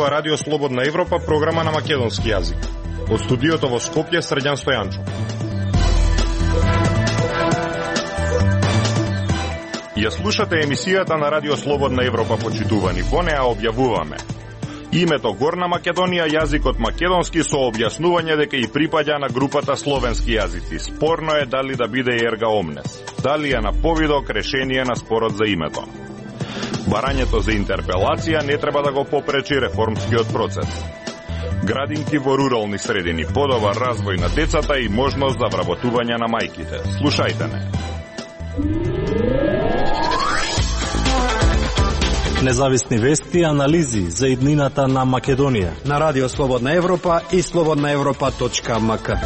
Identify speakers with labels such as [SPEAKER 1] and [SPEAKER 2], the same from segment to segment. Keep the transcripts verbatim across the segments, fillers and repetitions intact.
[SPEAKER 1] ова Радио Слободна Европа, програма на македонски јазик. Од студиото во Скопје, Срđan Стојанчо. Ја слушате емисијата на Радио Слободна Европа, почитувани. Во неа објавуваме името Горна Македонија, јазикот македонски со објаснување дека и припаѓа на групата словенски јазици. Спорно е дали да биде ерга омнес. Дали е на повидок решение на спорот за името. Барањето за интерпелација не треба да го попречи реформскиот процес. Градинки во рурални средини, подобар развој на децата и можност за вработување на мајките. Слушајте не.
[SPEAKER 2] Независни вести и анализи за иднината на Македонија
[SPEAKER 3] на Радио Слободна Европа и слободна европа точка ем ка.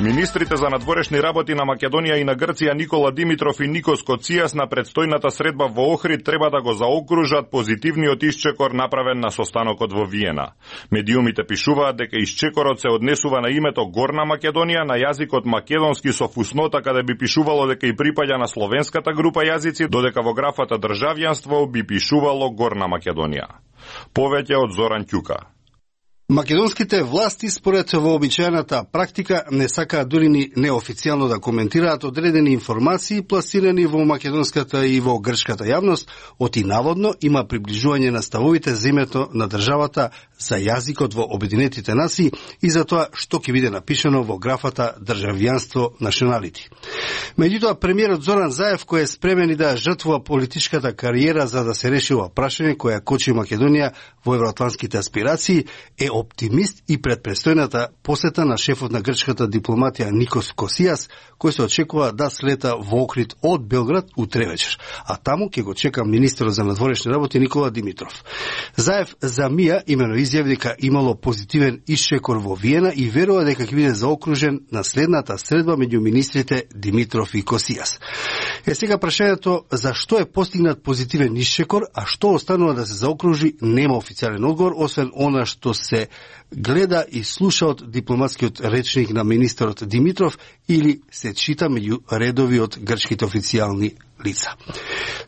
[SPEAKER 1] Министрите за надворешни работи на Македонија и на Грција Никола Димитров и Никос Коцијас на предстојната средба во Охрид треба да го заокружат позитивниот исчекор направен на состанокот во Виена. Медиумите пишуваат дека исчекорот се однесува на името Горна Македонија на јазикот македонски со фуснота каде би пишувало дека и припаѓа на словенската група јазици, додека во графата државјанство би пишувало Горна Македонија. Повеќе од Зоран Ќука.
[SPEAKER 4] Македонските власти, според вообичаената практика, не сакаат дури ни неофицијално да коментираат одредени информации пласирани во македонската и во грчката јавност, оти наводно има приближување на ставовите за името на државата за јазикот во Обединетите нации и за тоа што ќе биде напишано во графата државјанство националити. Меѓутоа, премиерот Зоран Заев, кој е спремен и да жртвува политичката кариера за да се реши ова прашање која кочи Македонија во евроатлантските аспирации, е оптимист и пред престојната посета на шефот на грчката дипломатија Никос Коцијас, кој се очекува да слета во Охрид од Белград утре вечер, а таму ќе го чека министерот за надворешни работи Никола Димитров. Заев за мија имено изјави дека имало позитивен исчекор во Виена и верува дека ќе биде заокружен на следната средба меѓу министрите Димитров и Коцијас. Е сега прашањето зашто е постигнат позитивен исчекор, а што останува да се заокружи, нема официјален одговор, освен она што се гледа и слуша од дипломатскиот речник на министерот Димитров или се чита меѓу редови од грчките официјални лица.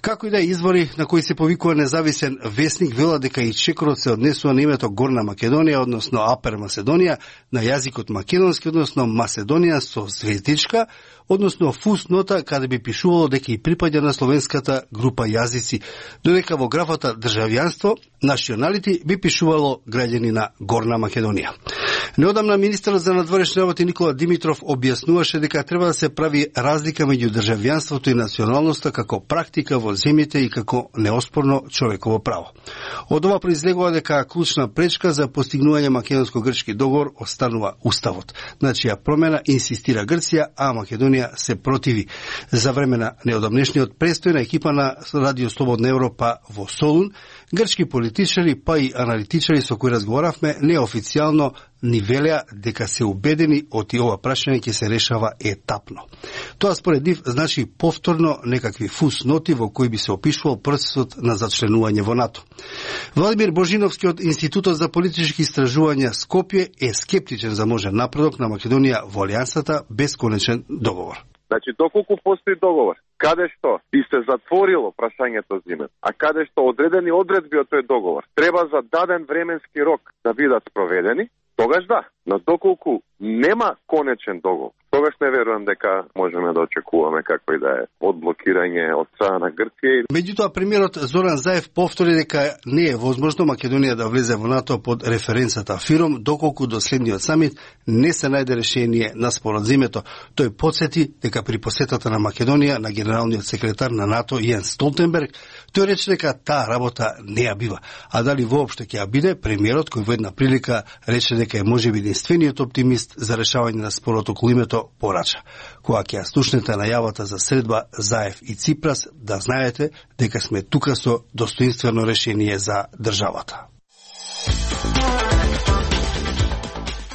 [SPEAKER 4] Како и да е, извори на кои се повикува независен вестник велат дека и чекорот се однесува на името Горна Македонија, односно Апер Маседонија, на јазикот македонски, односно Маседонија со звездичка, односно фуснота каде би пишувало дека и припаѓа на словенската група јазици, додека во графата државјанство националити би пишувало граѓани на Горна Македонија. Неодамна министерот за надворешни работи Никола Димитров објаснуваше дека треба да се прави разлика меѓу државјанството и националноста како практика во земјите и како неоспорно човеково право. Од ова произлегува дека клучна пречка за постигнување македонско-грчки договор останува уставот. На чија промена инсистира Грција, а Македонија се противи. За време на неодамнешниот престој на екипа на Радио Слободна Европа во Солун, грчки политичари па и аналитичари со кои разговаравме неофицијално ни велеа дека се убедени од и ова прашање ќе се решава етапно. Тоа според нив значи повторно некакви фусноти во кои би се опишувал процесот на зачленување во НАТО. Владимир Божиновски од Институтот за политички истражувања Скопје е скептичен за можен напредок на Македонија во алијансата без конечен договор.
[SPEAKER 5] Значи, доколку постои договор, каде што би се затворило прашањето за името, а каде што одредени одредби од тој договор треба за даден временски рок да бидат спроведени, тогаш да, но доколку нема конечен договор, тогаш не верувам дека можеме да очекуваме какво и да е одблокирање од страна на Грција.
[SPEAKER 4] Меѓутоа, премиерот Зоран Заев повтори дека не е возможно Македонија да влезе во НАТО под референцата ФИРОМ, доколку до следниот самит не се најде решение на спорот за името. Тој потсети дека при посетата на Македонија на генералниот секретар на НАТО Јенс Столтенберг, тој рече дека таа работа не ја бива. А дали воопшто ќе ја биде, премиерот кој во една прилика рече дека е можеби единствениот оптимист за решавање на спорот околу името порача. Кога ќе ја слушнете најавата за средба Заев и Ципрас, да знаете дека сме тука со достоинствено решение за државата.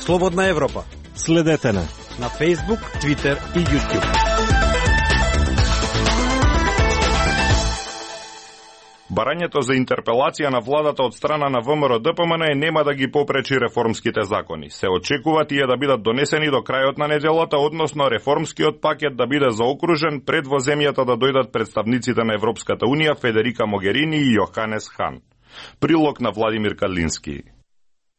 [SPEAKER 3] Слободна Европа.
[SPEAKER 2] Следете на
[SPEAKER 3] на Facebook, Twitter и YouTube.
[SPEAKER 1] Барањето за интерпелација на владата од страна на ВМРО Д П М Н нема да ги попречи реформските закони. Се очекува тие да бидат донесени до крајот на неделата, односно реформскиот пакет да биде заокружен пред во земјата да дојдат представниците на Европската Унија Федерика Могерини и Јоханес Хан. Прилог на Владимир Кадлински.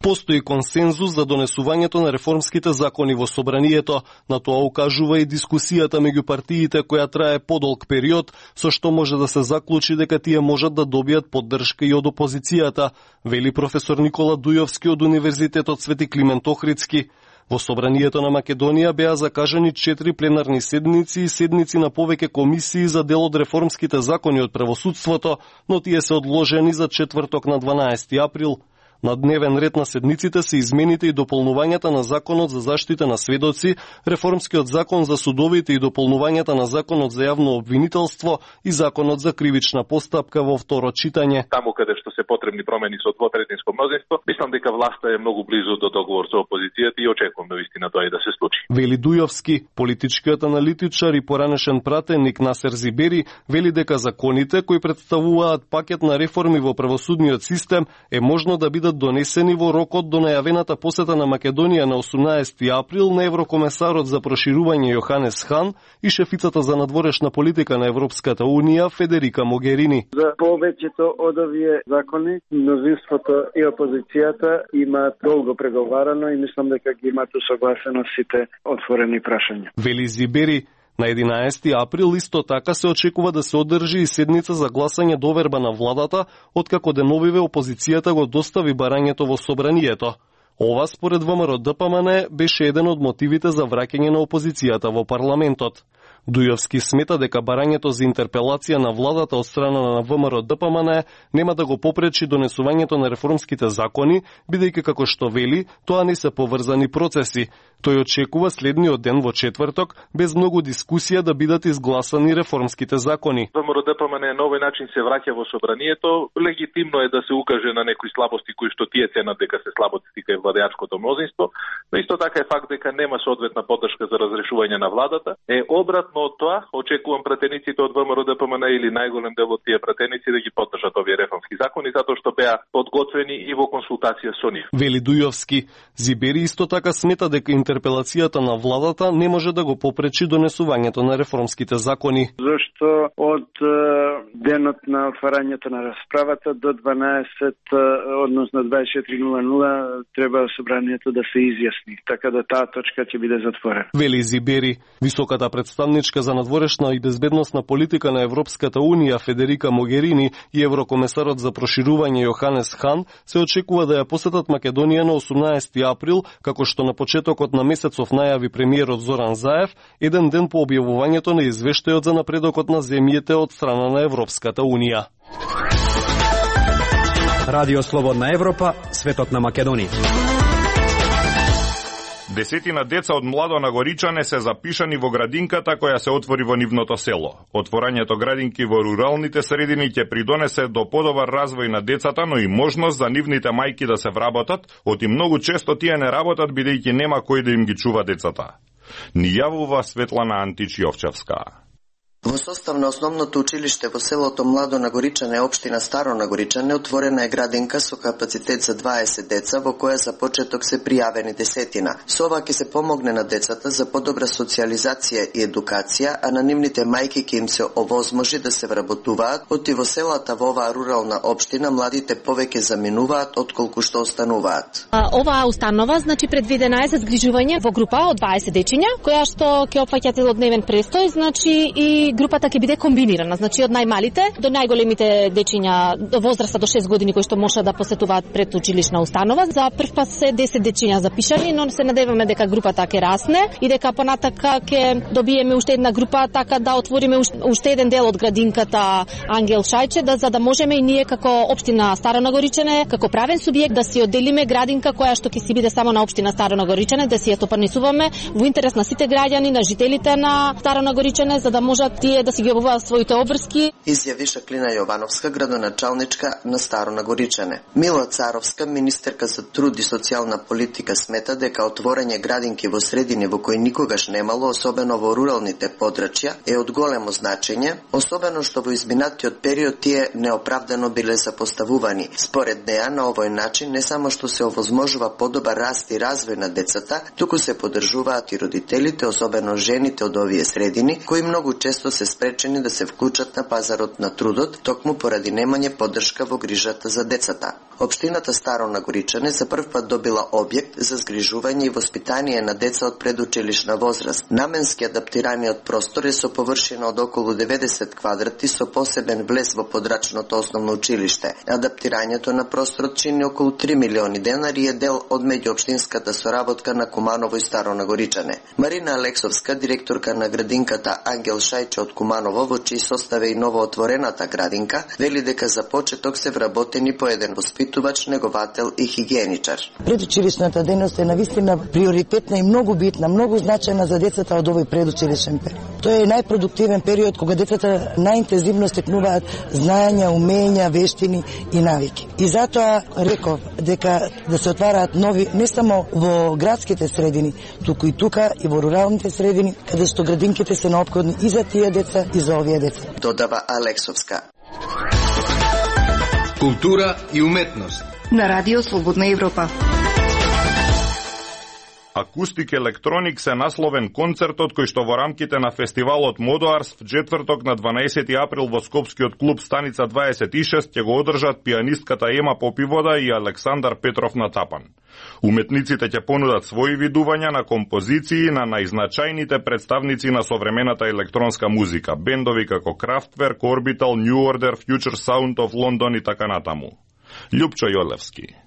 [SPEAKER 6] Постои консензус за донесувањето на реформските закони во собранието, на тоа укажува и дискусијата меѓу партиите која трае подолг период, со што може да се заклучи дека тие можат да добијат поддршка и од опозицијата, вели професор Никола Дујовски од Универзитетот Свети Климент Охридски. Во собранието на Македонија беа закажани четири пленарни седници и седници на повеќе комисии за дел од реформските закони од правосудството, но тие се одложени за четврток на дванаести април. На дневен ред на седниците се измените и дополнувањата на Законот за заштита на сведоци, реформскиот закон за судовите и дополнувањата на Законот за јавно обвинителство и Законот за кривична постапка во второ читање.
[SPEAKER 7] Таму каде што се потребни промени со двотретинско мнозинство, мислам дека власта е многу близу до договор со опозицијата и очекувам навистина тоа и да се случи.
[SPEAKER 6] Вели Дујовски, политичкиот аналитичар и поранешен пратеник Насер Зибери, вели дека законите кои представуваат пакет на реформи во правосудниот систем е можно да бидат донесени во рокот до најавената посета на Македонија на осумнаести април на еврокомесарот за проширување Јоханес Хан и шефицата за надворешна политика на Европската Унија Федерика Могерини.
[SPEAKER 8] За повеќето од овие закони, мнозинството и опозицијата имаат долго преговарано и мислам дека ги имаат усогласено сите отворени прашања.
[SPEAKER 6] Вели Зибери, на единаести април исто така се очекува да се одржи и седница за гласање доверба на владата, откако деновиве опозицијата го достави барањето во собранието. Ова според ВМРО Д П М Н беше еден од мотивите за враќање на опозицијата во парламентот. Дујовски смета дека барањето за интерпелација на владата од страна на ВМРО Д П М Н нема да го попречи донесувањето на реформските закони, бидејќи како што вели, тоа не се поврзани процеси. Тој очекува следниот ден во четврток, без многу дискусија да бидат изгласани реформските закони.
[SPEAKER 7] ВМРО Д П М Н на овој начин се враќа во собранието, легитимно е да се укаже на некои слабости кои што тие ценат дека се слабости кај владеачкото мнозинство, но исто така е факт дека нема соодветна поддршка за разрешување на владата. Е обратно од тоа, очекувам пратениците од ВМРО Д П М Н или најголем дел од тие пратеници да ги поддржат овие реформски закони, затоа што беа подготвени и во консултација со нив.
[SPEAKER 6] Вели Дујовски, Зибери исто така смета дека интерпелацијата на владата не може да го попречи донесувањето на реформските закони.
[SPEAKER 8] Зошто од денот на отварањето на расправата до дванаесет, односно дваесет и четири нула нула треба собранието да се изјасни, така да таа точка ќе биде затворена.
[SPEAKER 6] Вели Зибери, високата представничка за надворешна и безбедносна политика на Европската Унија Федерика Могерини и еврокомесарот за проширување Јоханес Хан се очекува да ја посетат Македонија на осумнаести април, како што на почетокот на месецов најави премиерот Зоран Заев, еден ден по објавувањето на извештајот за напредокот на земјите од страна на Европската Унија.
[SPEAKER 3] Радио Слободна Европа, светот на Македонија.
[SPEAKER 1] Десетина деца од младонагоричане се запишани во градинката која се отвори во нивното село. Отворањето градинки во руралните средини ќе придонесе до подобар развој на децата, но и можност за нивните мајки да се вработат, оти многу често тие не работат бидејќи нема кој да им ги чува децата. Ни јавува Светлана Антич-Јовчевска.
[SPEAKER 9] Во состав на основното училиште во селото Младо Нагоричане, општина Старо Нагоричане, отворена е градинка со капацитет за дваесет деца, во која за почеток се пријавени десетина. Со ова ќе се помогне на децата за подобра социјализација и едукација, а на нивните мајки ќе им се овозможи да се вработуваат, оти во селата во оваа рурална општина младите повеќе заминуваат отколку што остануваат.
[SPEAKER 10] А, оваа установа значи предвидена е за згрижување во група од дваесет дечиња, која што ќе опфаќа целодневен престој, значи и групата ќе биде комбинирана, значи од најмалите до најголемите дечиња до возраста до шест години кои што може да посетуваат предучилишна установа. За прв пат се десет дечиња запишани, но се надеваме дека групата ќе расне и дека понатака ќе добиеме уште една група, така да отвориме уште еден дел од градинката Ангел Шајче, да за да можеме и ние како општина Старо Нагоричане, како правен субјект да си одделиме градинка која што ќе си биде само на општина Старо Нагоричане, да си ја стопанисуваме во интерес на сите граѓани, на жителите на Старо Нагоричане, за да можат тие да си ги обуваат своите обврски.
[SPEAKER 9] Изјави Шаклина Јовановска, градоначалничка на Старо Нагоричане. Мила Царовска, министерка за труд и социјална политика, смета дека отворање градинки во средини во кои никогаш немало, особено во руралните подрачја, е од големо значење, особено што во изминатиот период тие неоправдано биле запоставувани. Според неа, на овој начин не само што се овозможува подобар раст и развој на децата, туку се поддржуваат и родителите, особено жените од овие средини, кои многу често семејство се спречени да се вклучат на пазарот на трудот, токму поради немање поддршка во грижата за децата. Општината Старо Нагоричане за прв пат добила објект за згрижување и воспитание на деца од предучилишна возраст. Наменски адаптираниот простор е со површина од околу деветдесет квадрати со посебен влез во подрачното основно училиште. Адаптирањето на просторот чини околу три милиони денари и е дел од меѓуопштинската соработка на Куманово и Старо Нагоричане. Марина Алексовска, директорка на градинката Ангел Шајче од Куманово, во чиј состав е и новоотворената градинка, вели дека за почеток се вработени по еден воспитувач, неговател и хигиеничар.
[SPEAKER 11] Предучилишната дејност е навистина приоритетна и многу битна, многу значајна за децата од овој предучилишен период. Тој е најпродуктивен период кога децата најинтензивно стекнуваат знаења, умења, вештини и навики. И затоа реков дека да се отвараат нови не само во градските средини, туку и тука и во руралните средини, каде што градинките се неопходни и за тие деца и за овие деца.
[SPEAKER 9] Додава Алексовска.
[SPEAKER 3] Култура и уметност
[SPEAKER 12] на Радио Слободна Европа.
[SPEAKER 1] Акустик електроник се насловен концертот кој што во рамките на фестивалот Модоарс в четврток на дванаесети април во Скопскиот клуб Станица дваесет и шест ќе го одржат пианистката Ема Попивода и Александар Петров на тапан. Уметниците ќе понудат своји видувања на композиции на најзначајните представници на современата електронска музика, бендови како Kraftwerk, Orbital, New Order, Future Sound of London и така натаму. Љупчо Јолевски.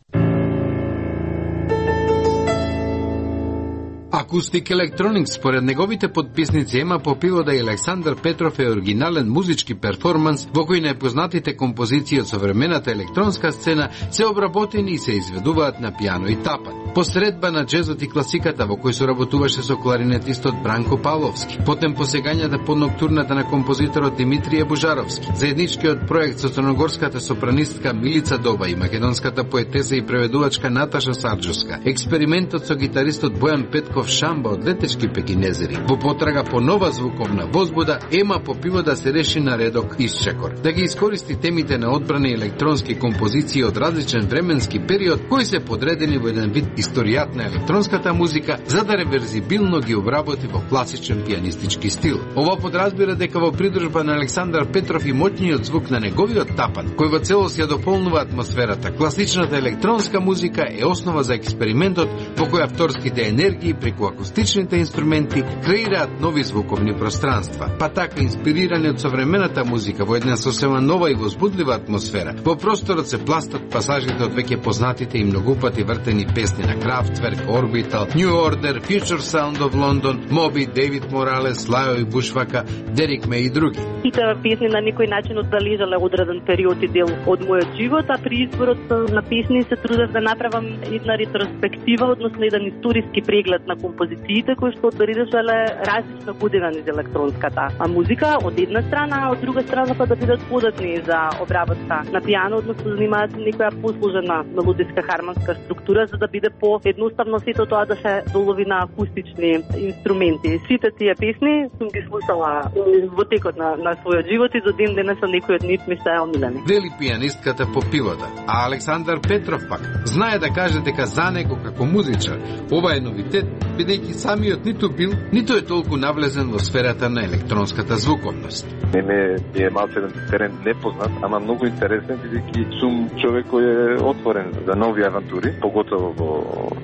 [SPEAKER 3] Акустик електроник според неговите подписници Ема Попивода и Александар Петров е оригинален музички перформанс во кој најпознатите композиции од современата електронска сцена се обработени и се изведуваат на пијано и тапан. Посредба на джезот и класиката во кој соработуваше со кларинетистот Бранко Павловски, потем посегањата под ноктурната на композиторот Димитрije Божаровски, заедничкиот проект со црногорската сопранистка Милица Доба и македонската поетеса и преведувачка Наташа Сарджовска, експериментот со гитаристот Бојан Петков Шамба од Летешки Пекинезери. Во потрага по нова звуковна возбуда, Ема Попивода се реши на редок исчекор, да ги искористи темите на одбрани електронски композиции од различен временски период, кои се подредени во еден вид историјат на електронската музика, за да реверзибилно ги обработи во класичен пианистички стил. Ова подразбира дека во придружба на Александар Петров и моќниот звук на неговиот тапан, кој во целост ја дополнува атмосферата, класичната електронска музика е основа за експериментот во кој авторските енергии преку акустичните инструменти креираат нови звуковни пространства. Па така, инспирирани од современата музика во една сосема нова и возбудлива атмосфера, во просторот се пластат пасажите од веќе познатите и многупати вртени песни на Kraftwerk, Orbital, New Order, Future Sound of London, Moby, David Morales, Лајо и Бушвака, Дерик Мей и други.
[SPEAKER 13] Сите песни на некој начин одбележале одреден период и дел од мојот живот, а при изборот на песни се трудев да направам една ретроспектива, односно еден историски преглед на композициите кои што одбележале различна година низ електронската музика од една страна, а од друга страна па да бидат податни за обработка на пијано, односно занимаат некоја посложена мелодиска хармонска структура за да биде по едноставно сето тоа да се долови на акустични инструменти. Сите тие песни сум ги слушала во текот на, на својот живот и до ден денес некој од нив ми се омилени.
[SPEAKER 3] Вели пианистката Попивода, а Александар Петров пак знае да каже дека за него како музичар ова е новитет, бидејќи самиот ниту бил, ниту е толку навлезен во сферата на електронската звуковност.
[SPEAKER 5] Мене е малце терен непознат, ама многу интересен, бидејќи сум човек кој е отворен за нови авантури, поготово во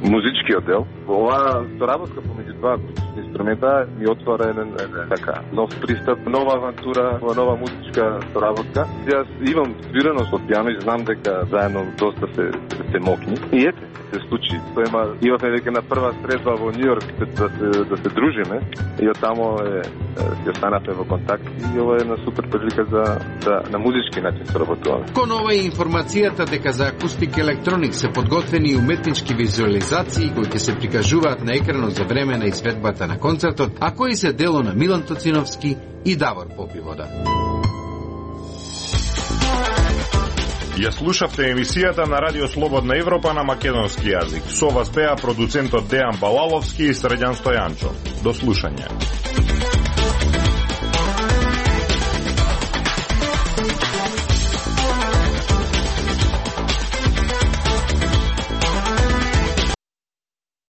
[SPEAKER 5] музичкиот дел. Ова соработка помеѓу два инструмента ми отвора еден, еден така нов пристап, нова авантура, нова музичка соработка. Јас имам свиреност од пијано и знам дека заедно доста се се мокни. И ете, се случи. Тоа има имавме дека на прва средба во Нью Йорк да се да се дружиме и од тамо е се останавме во контакт и ова е една супер прилика за да на музички начин соработуваме.
[SPEAKER 3] Кон ова е информацијата дека за акустик електроник се подготвени и уметнички визуализации кои ќе се прикажуваат на екранот за време на изведбата на концертот, а кои се дело на Милан Тоциновски и Давор Попивода.
[SPEAKER 1] Ја слушавте емисијата на Радио Слободна Европа на македонски јазик. Со вас беа продуцентот Дејан Балаловски и Средјан Стојанчо. До слушање.